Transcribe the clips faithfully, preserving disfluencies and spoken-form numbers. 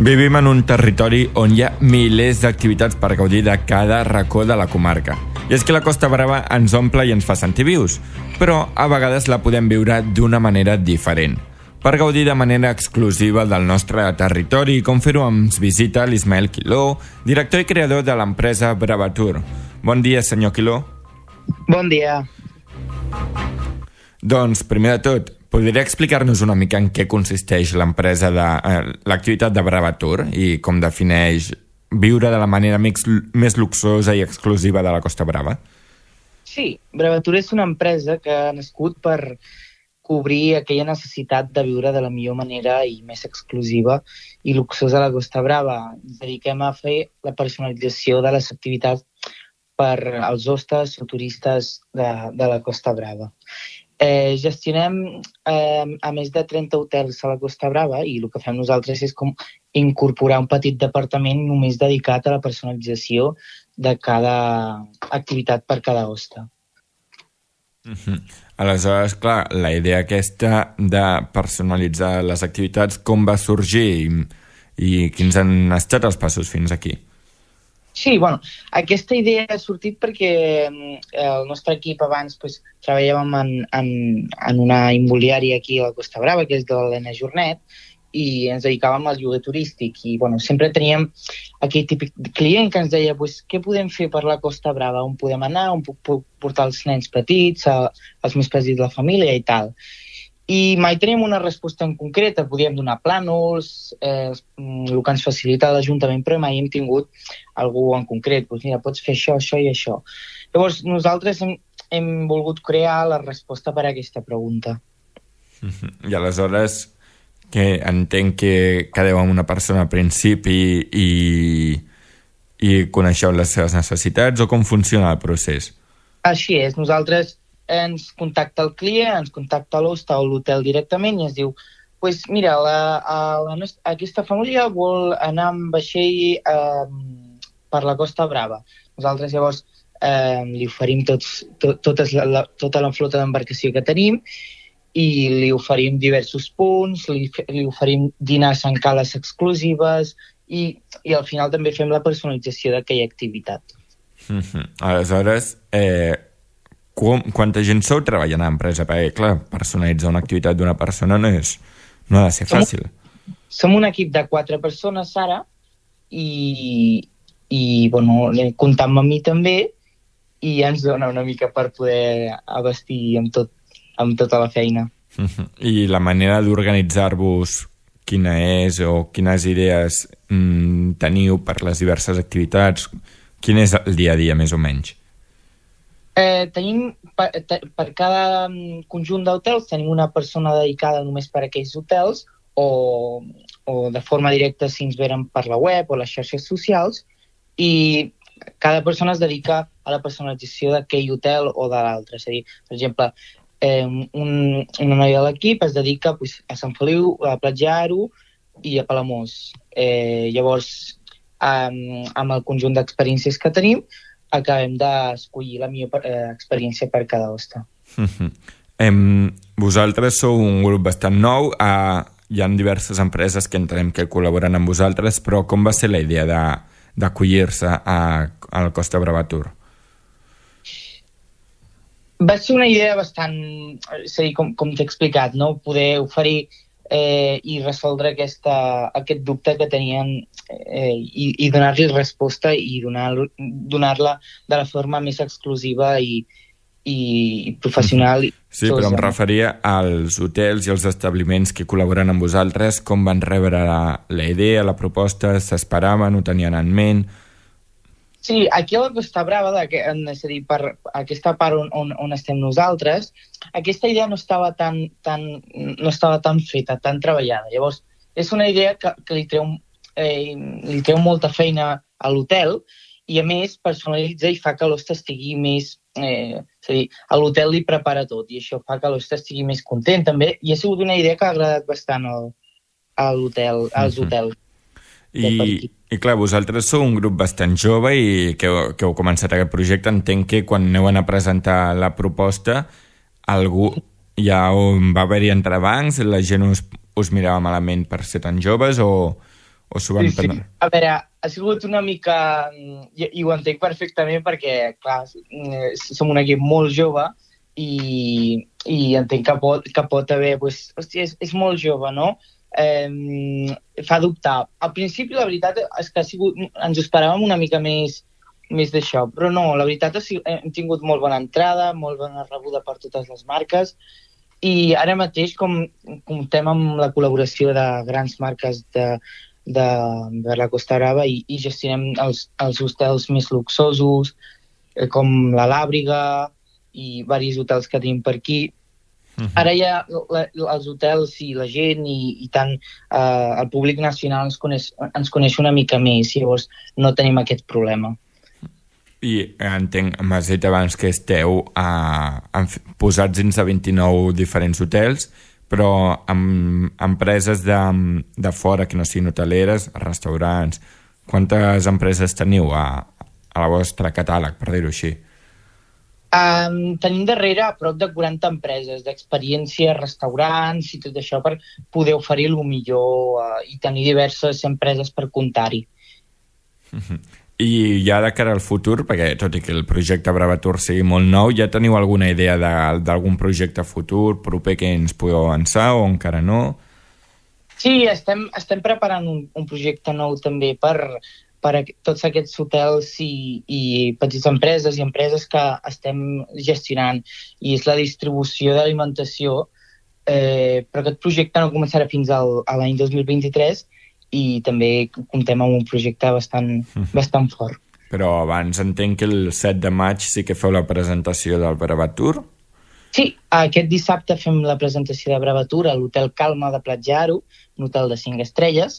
Vivim en un territori on hi ha milers d'activitats per gaudir de cada racó de la comarca. I és que la Costa Brava ens omple i ens fa sentir vius, però a vegades la podem viure d'una manera diferent. Per gaudir de manera exclusiva del nostre territori, com fer-ho ens visita l'Ismael Quiló, director i creador de l'empresa Bravatur. Bon dia, senyor Quiló. Bon dia. Doncs, primer de tot, podria explicar-nos una mica en què consisteix l'empresa de eh, l'activitat de Bravatur i com defineix viure de la manera més, més luxosa i exclusiva de la Costa Brava? Sí, Bravatur és una empresa que ha nascut per cobrir aquella necessitat de viure de la millor manera i més exclusiva i luxosa a la Costa Brava. Ens dediquem a fer la personalització de les activitats per als hostes o turistes de, de la Costa Brava. Eh, gestionem eh, a més de trenta hotels a la Costa Brava i el que fem nosaltres és com incorporar un petit departament només dedicat a la personalització de cada activitat per cada hoste. Mm-hmm. Aleshores, clar, la idea aquesta de personalitzar les activitats, com va sorgir i, i quins han estat els passos fins aquí? Sí, bueno, aquesta idea ha sortit perquè el nostre equip abans pues, treballàvem en, en, en una immobiliària aquí a la Costa Brava, que és de l'Helena Jornet, i ens dedicàvem al lloguer turístic. I bueno, sempre teníem aquell típic client que ens deia pues, què podem fer per la Costa Brava, on podem anar, on puc portar els nens petits, els més petits de la família i tal. I mai teníem una resposta en concreta, podíem donar plànols, eh, el que ens facilita l'Ajuntament, però mai hem tingut algú en concret. Pues mira, pots fer això, això i això. Llavors, nosaltres hem, hem volgut crear la resposta per a aquesta pregunta. I aleshores, que entenc que quedeu amb una persona al principi i, i coneixeu les seves necessitats, o com funciona el procés? Així és, nosaltres ens contacta el client, ens contacta l'hoste o l'hotel directament i ens diu pues mira, la, a la nostra, aquesta família vol anar amb vaixell eh, per la Costa Brava. Nosaltres llavors eh, li oferim tots, tot, totes la, la, tota la flota d'embarcació que tenim i li oferim diversos punts, li, li oferim dinars en cales exclusives i, i al final també fem la personalització d'aquella activitat. Mm-hmm. Aleshores, eh, com, quanta gent sou treballant a l'empresa? Perquè, clar, personalitzar una activitat d'una persona no, és, no ha de ser fàcil. Som, som un equip de quatre persones ara i, i bueno, comptam amb mi també i ja ens dona una mica per poder abastir amb, tot, amb tota la feina. Mm-hmm. I la manera d'organitzar-vos, quina és o quines idees mm, teniu per les diverses activitats? Quin és el dia a dia, més o menys? Eh, tenim, per, per cada conjunt d'hotels, tenim una persona dedicada només per a aquells hotels o, o de forma directa si ens venen per la web o les xarxes socials i cada persona es dedica a la personalització d'aquell hotel o de l'altre. És a dir, per exemple, eh, un, una noia de l'equip es dedica pues, a Sant Feliu, a Platja-Aro i a Palamós. Eh, llavors, amb, amb el conjunt d'experiències que tenim, acabem d'escollir la millor eh, experiència per cada hoste. Mm-hmm. Em, vosaltres sou un grup bastant nou, eh, hi ha diverses empreses que entenem que col·laboren amb vosaltres, però com va ser la idea de, d'acollir-se a, a la Costa Bravatur? Va ser una idea bastant, és a dir, com, com t'he explicat, no? Poder oferir Eh, i resoldre aquesta, aquest dubte que tenien eh, i, i donar-li resposta i donar, donar-la de la forma més exclusiva i, i professional. Sí, però em referia als hotels i als establiments que col·laboren amb vosaltres, com van rebre la, la idea, la proposta, s'esperaven, ho tenien en ment? Sí, aquí a la Costa Brava, de, és a dir, per aquesta part on, on, on estem nosaltres, aquesta idea no estava tan, tan, no estava tan feta, tan treballada. Llavors, és una idea que, que li, treu, eh, li treu molta feina a l'hotel i, a més, personalitza i fa que l'hoste estigui més... Eh, és a dir, a l'hotel li prepara tot i això fa que l'hoste estigui més content, també. I ha sigut una idea que ha agradat bastant al, a l'hotel, als hotels. I, i clar, vosaltres sou un grup bastant jove i que, que heu començat aquest projecte. Entenc que quan aneu a presentar la proposta algú ja va haver-hi entrebancs, la gent us, us mirava malament per ser tan joves o, O s'ho van Sí, sí. prendre? A veure, ha sigut una mica... I, i ho entenc perfectament perquè, clar, eh, som un equip molt jove i, i entenc que pot, que pot haver... Pues, hòstia, és, és molt jove, no? Eh, fa dubtar. Al principi, la veritat és que ha sigut, ens ho esperàvem una mica més, més d'això, però no, la veritat és que hem tingut molt bona entrada, molt bona rebuda per totes les marques, i ara mateix, com comptem amb la col·laboració de grans marques de, de, de la Costa Brava i, i gestionem els, els hostels més luxosos, eh, com la Làbriga i diversos hotels que tenim per aquí. Uh-huh. Ara ja la, els hotels i la gent i, i tant eh, el públic nacional ens coneix, ens coneix una mica més, llavors no tenim aquest problema. I entenc, m'has dit abans que esteu eh, posats dins de vint-i-nou diferents hotels, però amb empreses de, de fora que no siguin hoteleres, restaurants, quantes empreses teniu a, a la vostra catàleg, per dir-ho així? Um, tenim darrere a prop de quaranta empreses d'experiència, restaurants i tot això per poder oferir el millor uh, i tenir diverses empreses per comptar-hi. Uh-huh. I ja de cara al futur, perquè tot i que el projecte Bravatur sigui molt nou, ja teniu alguna idea d'algun projecte futur proper que ens podeu avançar o encara no? Sí, estem, estem preparant un, un projecte nou també per, per a tots aquests hotels i, i petites empreses i empreses que estem gestionant, i és la distribució d'alimentació, eh, però aquest projecte no començarà fins al, a l'any dos mil vint-i-tres i també comptem amb un projecte bastant, mm. bastant fort. Però abans entenc que el set de maig sí que feu la presentació del Bravatur? Sí, aquest dissabte fem la presentació de Bravatur a l'Hotel Calma de Platja-Aro, un hotel de cinc estrelles,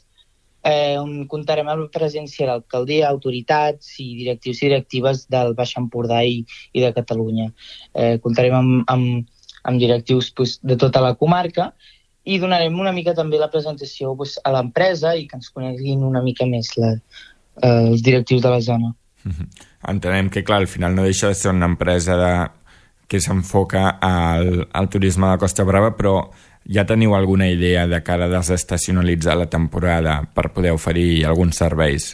eh, on comptarem amb la presència d'alcaldia, autoritats i directius i directives del Baix Empordà i, i de Catalunya. Eh, comptarem amb, amb, amb directius pues, de tota la comarca i donarem una mica també la presentació pues, a l'empresa i que ens coneguin una mica més la, eh, els directius de la zona. Mm-hmm. Entenem que, clar, al final no deixa de ser una empresa de, que s'enfoca al, al turisme de la Costa Brava, però ja teniu alguna idea de cara a desestacionalitzar la temporada per poder oferir alguns serveis,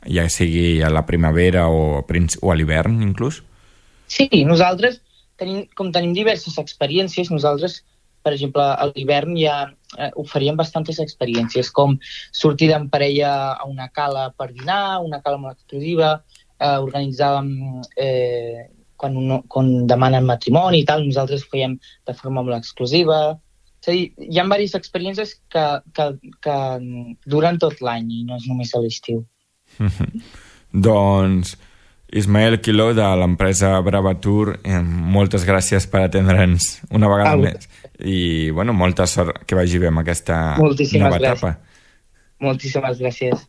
ja sigui a la primavera o, o a l'hivern, inclús? Sí, nosaltres, tenim, com tenim diverses experiències, nosaltres per exemple, a l'hivern ja eh, oferíem bastantes experiències, com sortir en parella a una cala per dinar, una cala molt exclusiva, eh, organitzàvem eh, quan, un, quan demanen matrimoni i tal, nosaltres ho fèiem de forma molt exclusiva. És a dir, hi ha diverses experiències que, que, que duren tot l'any i no és només a l'estiu. Doncs, Ismael Quiló, de l'empresa Bravatur, eh, moltes gràcies per atendre'ns una vegada ah, més. I, bueno, molta sort que vagi bé amb aquesta Moltíssimes nova gràcies. etapa. Moltíssimes gràcies.